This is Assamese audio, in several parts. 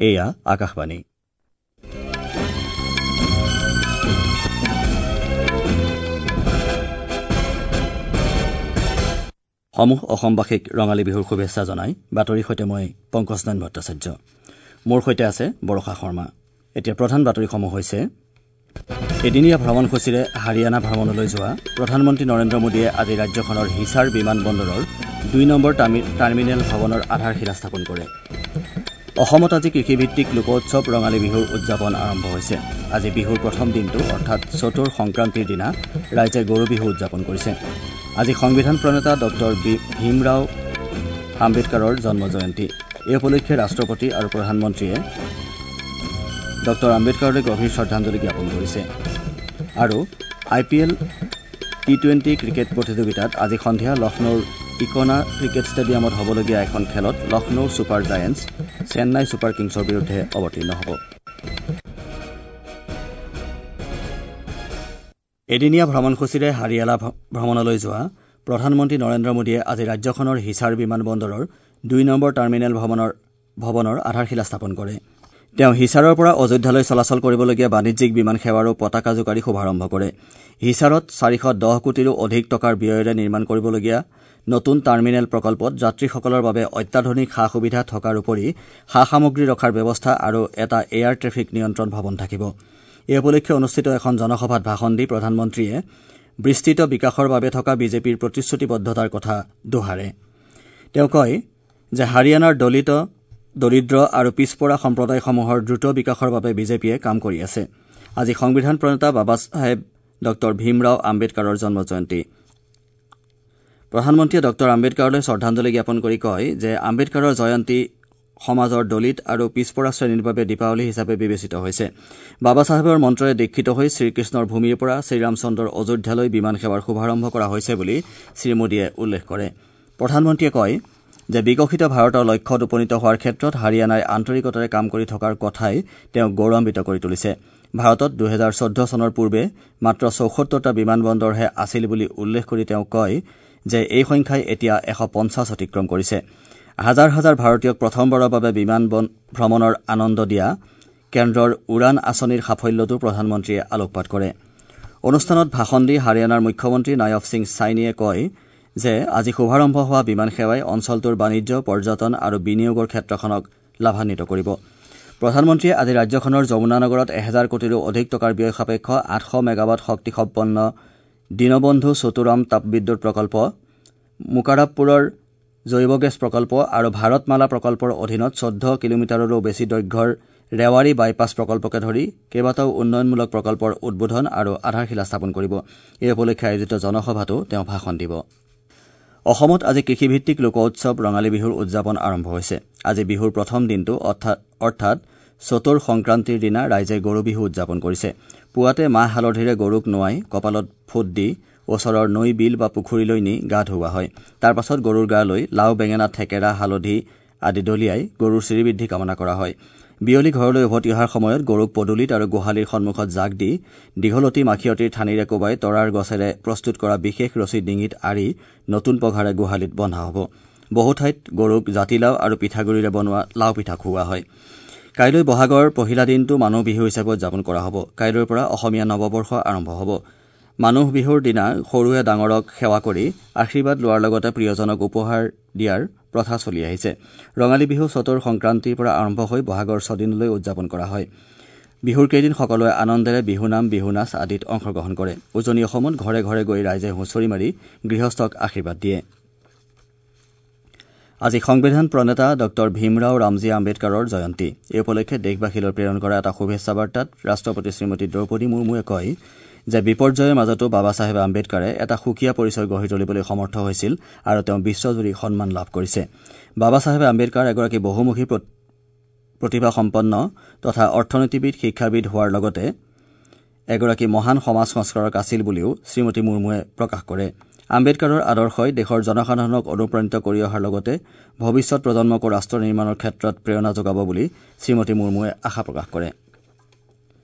এয়া আকাশবাণী। সমূহ অসমবাসীক ৰঙালী বিহুৰ শুভেচ্ছা জনাই বাতৰিৰ সৈতে মই পংকজ নাৰায়ণ ভট্টাচাৰ্য। মোৰ সৈতে আছে বৰষা শৰ্মা। এতিয়া প্ৰধান বাতৰিসমূহ হৈছে: এদিনীয়া ভ্ৰমণসূচীৰে হাৰিয়ানা ভ্ৰমণলৈ যোৱা প্ৰধানমন্ত্ৰী নৰেন্দ্ৰ মোদীয়ে আজি ৰাজ্যখনৰ হিছাৰ বিমান বন্দৰৰ 2 নম্বৰ টাৰ্মিনেল ভৱনৰ আধাৰশিলা স্থাপন কৰে। অসমত আজি কৃষিভিত্তিক লোকোৎসৱ ৰঙালী বিহুৰ উদযাপন আৰম্ভ হৈছে। আজি বিহুৰ প্ৰথম দিনটো অৰ্থাৎ চতুৰ সংক্ৰান্তিৰ দিনা ৰাইজে গৰু বিহু উদযাপন কৰিছে। আজি সংবিধান প্ৰণেতা ডক্টৰ ভীমৰাও আম্বেদকাৰৰ জন্ম জয়ন্তী। এই উপলক্ষে ৰাষ্ট্ৰপতি আৰু প্ৰধানমন্ত্ৰীয়ে ডক্টৰ আম্বেদকাৰলৈ গভীৰ শ্ৰদ্ধাঞ্জলি জ্ঞাপন কৰিছে। আৰু IPL T20 cricket প্ৰতিযোগিতাত আজি সন্ধিয়া লক্ষ্ণৌৰ ইকনা ক্ৰিকেট ষ্টেডিয়ামত হ'বলগীয়া এখন খেলত Lucknow super giants Chennai super কিংছৰ বিৰুদ্ধে অৱতীৰ্ণ হ'ব। এদিনীয়া ভ্ৰমণসূচীৰে হাৰিয়ানা ভ্ৰমণলৈ যোৱা প্ৰধানমন্ত্ৰী নৰেন্দ্ৰ মোদীয়ে আজি ৰাজ্যখনৰ হিছাৰ বিমান বন্দৰৰ 2 নম্বৰ টাৰ্মিনেল ভৱনৰ আধাৰশিলা স্থাপন কৰে। তেওঁ হিছাৰৰ পৰা অযোধ্যালৈ চলাচল কৰিবলগীয়া বাণিজ্যিক বিমান সেৱাৰো পতাকা জোকাৰি শুভাৰম্ভ কৰে। হিছাৰত 410 কোটিৰো অধিক টকাৰ ব্যয়েৰে নিৰ্মাণ কৰিবলগীয়া নতুন টাৰ্মিনেল প্ৰকল্পত যাত্ৰীসকলৰ বাবে অত্যাধুনিক সা সুবিধা থকাৰ উপৰি সা সামগ্ৰী ৰখাৰ ব্যৱস্থা আৰু এটা এয়াৰ ট্ৰেফিক নিয়ন্ত্ৰণ ভৱন থাকিব। এই উপলক্ষে অনুষ্ঠিত এখন জনসভাত ভাষণ দি প্ৰধানমন্ত্ৰীয়ে বিস্তৃত বিকাশৰ বাবে থকা বিজেপিৰ প্ৰতিশ্ৰুতিবদ্ধতাৰ কথা দোহাৰে। তেওঁ কয় যে হাৰিয়ানাৰ দলিত, দৰিদ্ৰ আৰু পিছপৰা সম্প্ৰদায়সমূহৰ দ্ৰুত বিকাশৰ বাবে বিজেপিয়ে কাম কৰি আছে। আজি সংবিধান প্ৰণেতা বাবা চাহেব ডক্টৰ ভীমৰাও আম্বেদকাৰৰ জন্ম জয়ন্তী। প্ৰধানমন্ত্ৰীয়ে ডক্টৰ আম্বেদকাৰলৈ শ্ৰদ্ধাঞ্জলি জ্ঞাপন কৰি কয় যে আম্বেদকাৰৰ জয়ন্তী সমাজৰ দলিত আৰু পিছপৰা শ্ৰেণীৰ বাবে দীপাৱলী হিচাপে বিবেচিত হৈছে। বাবা চাহেবৰ মন্ত্ৰৰে দীক্ষিত হৈ শ্ৰীকৃষ্ণৰ ভূমিৰ পৰা শ্ৰীৰামচন্দ্ৰৰ অযোধ্যালৈ বিমান সেৱাৰ শুভাৰম্ভ কৰা হৈছে বুলি শ্ৰীমোদীয়ে উল্লেখ কৰে। প্ৰধানমন্ত্ৰীয়ে কয় যে বিকশিত ভাৰতৰ লক্ষ্যত উপনীত হোৱাৰ ক্ষেত্ৰত হাৰিয়ানাই আন্তৰিকতাৰে কাম কৰি থকাৰ কথাই তেওঁক গৌৰৱান্বিত কৰি তুলিছে। ভাৰতত 2014 চনৰ পূৰ্বে মাত্ৰ 74টা বিমান বন্দৰহে আছিল বুলি উল্লেখ কৰি তেওঁ কয় যে এই সংখ্যাই এতিয়া 150 অতিক্ৰম কৰিছে। হাজাৰ হাজাৰ ভাৰতীয়ক প্ৰথমবাৰৰ বাবে বিমান ভ্ৰমণৰ আনন্দ দিয়া কেন্দ্ৰৰ উড়ান আঁচনিৰ সাফল্যতো প্ৰধানমন্ত্ৰীয়ে আলোকপাত কৰে। অনুষ্ঠানত ভাষণ দি হাৰিয়ানাৰ মুখ্যমন্ত্ৰী নায়ব সিং ছাইনীয়ে কয় যে আজি শুভাৰম্ভ হোৱা বিমান সেৱাই অঞ্চলটোৰ বাণিজ্য, পৰ্যটন আৰু বিনিয়োগৰ ক্ষেত্ৰখনক লাভান্বিত কৰিব। প্ৰধানমন্ত্ৰীয়ে আজি ৰাজ্যখনৰ যমুনা নগৰত 1000 কোটিৰো অধিক টকাৰ ব্যয় সাপেক্ষ 800 মেগাৱাট শক্তিসম্পন্ন দীনবন্ধু চতুৰাম তাপবিদ্যুৎ প্ৰকল্প, মুকাৰাবপুৰৰ জৈৱ গেছ প্ৰকল্প আৰু ভাৰতমালা প্ৰকল্পৰ অধীনত 14 কিলোমিটাৰৰো বেছি দৈৰ্ঘ্যৰ ৰেৱাৰী বাইপাছ প্ৰকল্পকে ধৰি কেইবাটাও উন্নয়নমূলক প্ৰকল্পৰ উদ্বোধন আৰু আধাৰশিলা স্থাপন কৰিব। এই উপলক্ষে আয়োজিত জনসভাতো তেওঁ ভাষণ দিব। অসমত আজি কৃষিভিত্তিক লোকোৎসৱ ৰঙালী বিহুৰ উদযাপন আৰম্ভ হৈছে। আজি বিহুৰ প্ৰথম দিনটো অৰ্থাৎ চতুৰ সংক্ৰান্তিৰ দিনা ৰাইজে গৰু বিহু উদযাপন কৰিছে। পুৱাতে মাহ হালধিৰে গৰুক নোৱাই কপালত ফুট দি ওচৰৰ নৈ, বিল বা পুখুৰীলৈ নি গা ধুওৱা হয়। তাৰ পাছত গৰুৰ গা লৈ লাও, বেঙেনা, থেকেৰা, হালধি আদি দলিয়াই গৰুৰ শ্ৰীবৃদ্ধি কামনা কৰা হয়। বিয়লি ঘৰলৈ উভতি অহাৰ সময়ত গৰুক পদূলিত আৰু গোহালিৰ সন্মুখত জাক দি দীঘলতি মাখিয়তীৰ ঠানিৰে কোবাই তৰাৰ গছেৰে প্ৰস্তুত কৰা বিশেষ ৰছী ডিঙিত আঁৰি নতুন পঘাৰে গোহালিত বন্ধা হ'ব। বহু ঠাইত গৰুক জাতিলাও আৰু পিঠাগুৰিৰে বনোৱা লাও পিঠা খুওৱা হয়। কাইলৈ বহাগৰ পহিলা দিনটো মানুহ বিহু হিচাপে উদযাপন কৰা হ'ব। কাইলৈৰ পৰা অসমীয়া নৱবৰ্ষ আৰম্ভ হ'ব। মানুহ বিহুৰ দিনা সৰুৱে ডাঙৰক সেৱা কৰি আশীৰ্বাদ লোৱাৰ লগতে প্ৰিয়জনক উপহাৰ দিয়াৰ প্ৰথা চলি আহিছে। ৰঙালী বিহু চতুৰ সংক্ৰান্তিৰ পৰা আৰম্ভ হৈ বহাগৰ ছদিনলৈ উদযাপন কৰা হয়। বিহুৰ কেইদিন সকলোৱে আনন্দেৰে বিহুনাম, বিহুনাচ আদিত অংশগ্ৰহণ কৰে। উজনি অসমত ঘৰে ঘৰে গৈ ৰাইজে হুঁচৰি মাৰি গৃহস্থক আশীৰ্বাদ দিয়ে। আজি সংবিধান প্ৰণেতা ডক্টৰ ভীমৰাও ৰামজী আম্বেদকাৰৰ জয়ন্তী। এই উপলক্ষে দেশবাসীলৈ প্ৰেৰণ কৰা এটা শুভেচ্ছা বাৰ্তাত ৰাষ্ট্ৰপতি শ্ৰীমতী দ্ৰৌপদী মুৰ্মুৱে কয় যে বিপৰ্যয়ৰ মাজতো বাবা চাহেব আম্বেদকাৰে এটা সুকীয়া পৰিচয় গঢ়ি তুলিবলৈ সমৰ্থ হৈছিল আৰু তেওঁ বিশ্বজুৰি সন্মান লাভ কৰিছে। বাবা চাহেব আম্বেদকাৰ এগৰাকী বহুমুখী প্ৰতিভাসম্পন্ন তথা অৰ্থনীতিবিদ, শিক্ষাবিদ হোৱাৰ লগতে এগৰাকী মহান সমাজ সংস্কাৰক আছিল বুলিও শ্ৰীমতী মুৰ্মুৱে প্ৰকাশ কৰে। আম্বেদকাৰৰ আদৰ্শই দেশৰ জনসাধাৰণক অনুপ্ৰাণিত কৰি অহাৰ লগতে ভৱিষ্যত প্ৰজন্মকো ৰাষ্ট্ৰ নিৰ্মাণৰ ক্ষেত্ৰত প্ৰেৰণা যোগাব বুলি শ্ৰীমতী মুৰ্মুৱে আশা প্ৰকাশ কৰে।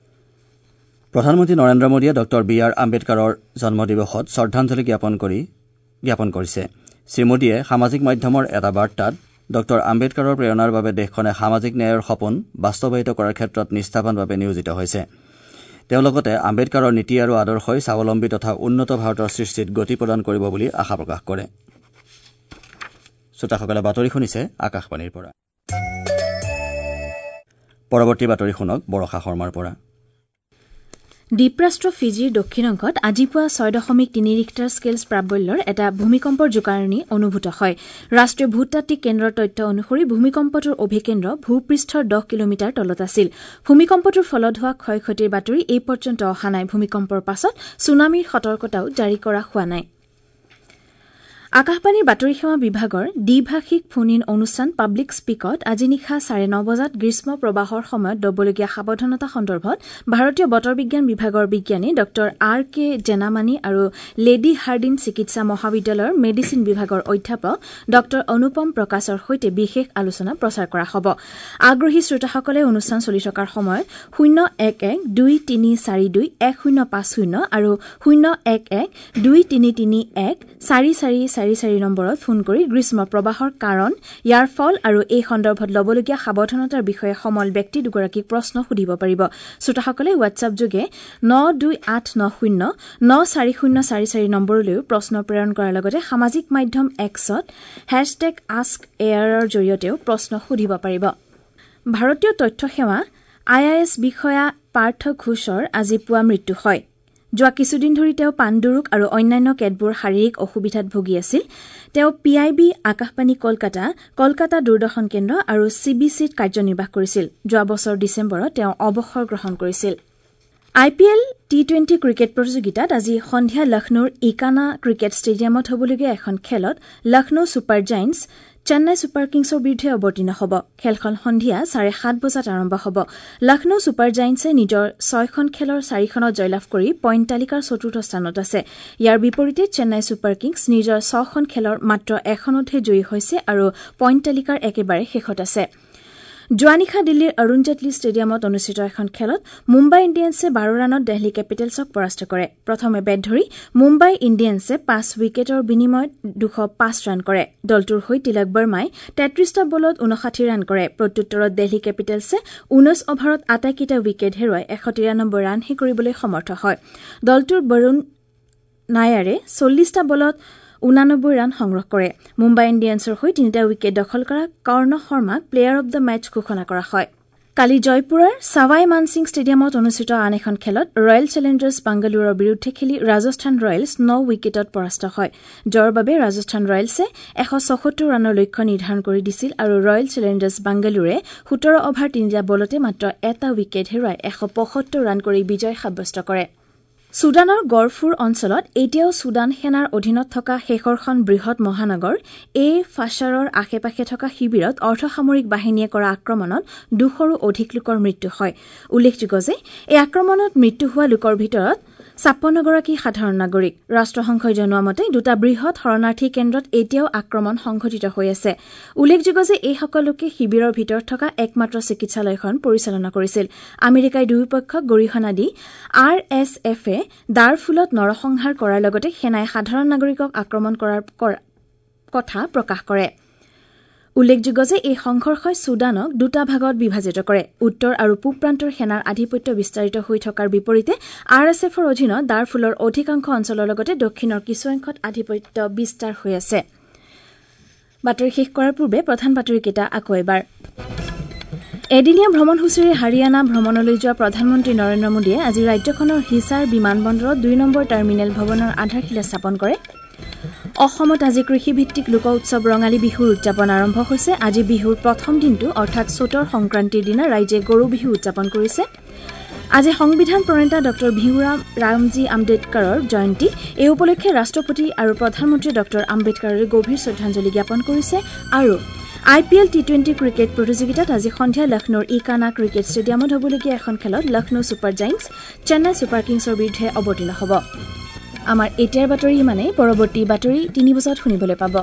প্ৰধানমন্ত্ৰী নৰেন্দ্ৰ মোদীয়ে ডক্টৰ বি আৰ আম্বেদকাৰৰ জন্মদিৱসত শ্ৰদ্ধাঞ্জলি জ্ঞাপন কৰিছে। শ্ৰীমোদীয়ে সামাজিক মাধ্যমৰ এটা বাৰ্তাত ডঃ আম্বেদকাৰৰ প্ৰেৰণাৰ বাবে দেশখনে সামাজিক ন্যায়ৰ সপোন বাস্তৱায়িত কৰাৰ ক্ষেত্ৰত নিষ্ঠাবানভাৱে নিয়োজিত হৈছে। তেওঁ লগতে আম্বেদকাৰৰ নীতি আৰু আদৰ্শই স্বাৱলম্বী তথা উন্নত ভাৰতৰ সৃষ্টিত গতি প্ৰদান কৰিব বুলি আশা প্ৰকাশ কৰে। শ্ৰোতাসকলে বাতৰি শুনিছে আকাশবাণীৰ পৰা। পৰৱৰ্তী বাতৰি শুনক বৰষা শৰ্মাৰ পৰা। দ্বীপৰাষ্ট্ৰ ফিজিৰ দক্ষিণ অংশত আজি পুৱা ৬.৩ ৰিখটাৰ স্কেল প্ৰাবল্যৰ এটা ভূমিকম্পৰ জোকাৰণি অনুভূত হয়। ৰাষ্ট্ৰীয় ভূতাত্ত্বিক কেন্দ্ৰৰ তথ্য অনুসৰি ভূমিকম্পটোৰ অভিকেন্দ্ৰ ভূপৃষ্ঠৰ ১০ কিলোমিটাৰ তলত আছিল। ভূমিকম্পটোৰ ফলত হোৱা ক্ষয় ক্ষতিৰ বাতৰি এই পৰ্যন্ত অহা নাই। ভূমিকম্পৰ পাছত ছুনামিৰ সতৰ্কতাও জাৰি কৰা হোৱা নাই। আকাশবাণীৰ বাতৰি সেৱা বিভাগৰ দ্বিভাষিক ফোন ইন অনুষ্ঠান পাব্লিক স্পীকত আজি নিশা ৯:৩০ বজাত গ্ৰীষ্ম প্ৰবাহৰ সময়ত ল'বলগীয়া সাৱধানতা সন্দৰ্ভত ভাৰতীয় বতৰ বিজ্ঞান বিভাগৰ বিজ্ঞানী ডঃ আৰ কে জেনামানী আৰু লেডী হাৰ্ডিন চিকিৎসা মহাবিদ্যালয়ৰ মেডিচিন বিভাগৰ অধ্যাপক ডঃ অনুপম প্ৰকাশৰ সৈতে বিশেষ আলোচনা প্ৰচাৰ কৰা হ'ব। আগ্ৰহী শ্ৰোতাসকলে অনুষ্ঠান চলি থকাৰ সময়ত ০১১ ২৩৪ ২ ১০৫০ আৰু ০১১ ২৩৩ ১ ৪৪ ৪৪ নম্বৰত ফোন কৰি গ্ৰীষ্ম প্ৰবাহৰ কাৰণ, ইয়াৰ ফল আৰু এই সন্দৰ্ভত ল'বলগীয়া সাৱধানতাৰ বিষয়ে সমল ব্যক্তি দুগৰাকীক প্ৰশ্ন সুধিব পাৰিব। শ্ৰোতাসকলে হোৱাটছএপ যোগে ৯২৮৯০ ৯৪০৪৪ নম্বৰলৈও প্ৰশ্ন প্ৰেৰণ কৰাৰ লগতে সামাজিক মাধ্যম এক্সত হেছটেগ আস্ক এয়াৰৰ জৰিয়তেও প্ৰশ্ন সুধিব পাৰিব। ভাৰতীয় তথ্য সেৱা I I S বিষয়া পাৰ্থ ঘোষৰ আজি পুৱা মৃত্যু হয়। যোৱা কিছুদিন ধৰি তেওঁ পাণ্ডুৰোগ আৰু অন্যান্য কেতবোৰ শাৰীৰিক অসুবিধাত ভুগি আছিল। তেওঁ P I B, Akashvani Kolkata, Kolkata Doordarshan কেন্দ্ৰ আৰু চি বি চিত কাৰ্যনিৰ্বাহ কৰিছিল। যোৱা বছৰ ডিচেম্বৰত তেওঁ অৱসৰ গ্ৰহণ কৰিছিল। I P L T20 cricket প্ৰতিযোগিতাত আজি সন্ধিয়া লক্ষ্ণৌৰ ইকানা ক্ৰিকেট ষ্টেডিয়ামত হ'বলগীয়া এখন খেলত Lucknow super giants Chennai super কিংছৰ বিৰুদ্ধে অৱতীৰ্ণ হ'ব। খেলখন সন্ধিয়া ৭:৩০ বজাত আৰম্ভ হ'ব। লক্ষ্ণৌ ছুপাৰ জায়েণ্টছে নিজৰ ৬খন খেলৰ ৪খনত জয়লাভ কৰি পইণ্ট তালিকাৰ চতুৰ্থ স্থানত আছে। ইয়াৰ বিপৰীতে চেন্নাই ছুপাৰ কিংছ নিজৰ ৬খন খেলৰ মাত্ৰ এখনতহে জয়ী হৈছে আৰু পইণ্ট তালিকাৰ একেবাৰে শেষত আছে। যোৱা নিশা দিল্লীৰ অৰুণ জেটলী ষ্টেডিয়ামত অনুষ্ঠিত এখন খেলত মুম্বাই ইণ্ডিয়ানছে ১২ ৰানত দেলহি কেপিটেলছক পৰাস্ত কৰে। প্ৰথমে বেট ধৰি মুম্বাই ইণ্ডিয়ানছে ৫ উইকেটৰ বিনিময়ত ২০৫ ৰান কৰে। দলটোৰ হৈ তিলক বৰ্মাই ৩৩টা বলত ৫৯ ৰান কৰে। প্ৰত্যুত্তৰত দেলহি কেপিটেলছে ১৯ অভাৰত আটাইকেইটা উইকেট হেৰুৱাই ১৯৩ ৰানহে কৰিবলৈ সমৰ্থ হয়। দলটোৰ বৰুণ নায়াৰে ৪০টা বলত ৮৯ ৰান সংগ্ৰহ কৰে। মুম্বাই ইণ্ডিয়ানছৰ হৈ ৩টা উইকেট দখল কৰা কৰ্ণ শৰ্মাক প্লেয়াৰ অব the match ঘোষণা কৰা হয়। কালি জয়পুৰৰ ছাৱাই মানসিং ষ্টেডিয়ামত অনুষ্ঠিত আন এখন খেলত ৰয়েল চেলেঞ্জাৰ্ছ বাংগালোৰৰ বিৰুদ্ধে খেলি ৰাজস্থান ৰয়েলছ ৯ উইকেটত পৰাস্ত হয়। জয়ৰ বাবে ৰাজস্থান ৰয়েলছে ১৭৬ ৰানৰ লক্ষ্য নিৰ্ধাৰণ কৰি দিছিল আৰু ৰয়েল চেলেঞ্জাৰ্ছ বাংগালোৰে ১৭ অভাৰ ৩টা বলতে মাত্ৰ এটা উইকেট হেৰুৱাই ১৭৫ ৰান কৰি বিজয় সাব্যস্ত কৰে। ছুডানৰ গৰফুৰ অঞ্চলত এতিয়াও ছুডান সেনাৰ অধীনত থকা শেষৰখন বৃহৎ মহানগৰ এ ফাছাৰৰ আশে পাশে থকা শিবিৰত অৰ্ধসামৰিক বাহিনীয়ে কৰা আক্ৰমণত ২০০ৰো অধিক লোকৰ মৃত্যু হয়। উল্লেখযোগ্য যে এই আক্ৰমণত মৃত্যু হোৱা লোকৰ ভিতৰত ৫৬গৰাকী সাধাৰণ নাগৰিক। ৰাষ্ট্ৰসংঘই জনোৱা মতে দুটা বৃহৎ শৰণাৰ্থী কেন্দ্ৰত এতিয়াও আক্ৰমণ সংঘটিত হৈ আছে। উল্লেখযোগ্য যে এইসকল লোকে শিবিৰৰ ভিতৰত থকা একমাত্ৰ চিকিৎসালয়খন পৰিচালনা কৰিছিল। আমেৰিকাই দুয়োপক্ষক গৰিহণা দি আৰ এছ এফে দাৰফুলত নৰসংহাৰ কৰাৰ লগতে সেনাই সাধাৰণ নাগৰিকক আক্ৰমণ কৰাৰ কথা প্ৰকাশ কৰে। উল্লেখযোগ্য যে এই সংঘৰ্ষই ছুডানক দুটা ভাগত বিভাজিত কৰে। উত্তৰ আৰু পূব প্ৰান্তৰ সেনাৰ আধিপত্য বিস্তাৰিত হৈ থকাৰ বিপৰীতে আৰ এছ এফৰ অধীনত দাৰফুলৰ অধিকাংশ অঞ্চলৰ লগতে দক্ষিণৰ কিছু অংশত আধিপত্য বিস্তাৰ হৈ আছে। বাতৰি শেষ কৰাৰ পূৰ্বে প্ৰধান বাতৰিকেইটা আকৌ এবাৰ। এদিনীয়া ভ্ৰমণসূচীৰে হাৰিয়ানা ভ্ৰমণলৈ যোৱা প্ৰধানমন্ত্ৰী নৰেন্দ্ৰ মোদীয়ে আজি ৰাজ্যখনৰ হিছাৰ বিমানবন্দৰত ২ নম্বৰ টাৰ্মিনেল ভৱনৰ আধাৰশিলা স্থাপন কৰে। অসমত আজি কৃষিভিত্তিক লোক উৎসৱ ৰঙালী বিহুৰ উদযাপন আৰম্ভ হৈছে। আজি বিহুৰ প্ৰথম দিনটো অৰ্থাৎ চ'তৰ সংক্ৰান্তিৰ দিনা ৰাইজে গৰু বিহু উদযাপন কৰিছে। আজি সংবিধান প্ৰণেতা ডঃ ভীমৰাম ৰামজী আম্বেদকাৰৰ জয়ন্তী। এই উপলক্ষে ৰাষ্ট্ৰপতি আৰু প্ৰধানমন্ত্ৰী ডঃ আম্বেদকাৰলৈ গভীৰ শ্ৰদ্ধাঞ্জলি জ্ঞাপন কৰিছে। আৰু I P L T20 cricket প্ৰতিযোগিতাত আজি সন্ধিয়া লক্ষ্ণৌৰ ইকানা ক্ৰিকেট ষ্টেডিয়ামত হ'বলগীয়া এখন খেলত Lucknow super giants Chennai super কিংছৰ বিৰুদ্ধে অৱতীৰ্ণ হ'ব। আমাৰ এতিয়াৰ বাতৰি ইমানেই। পৰৱৰ্তী বাতৰি ৩ বজাত শুনিবলৈ পাব।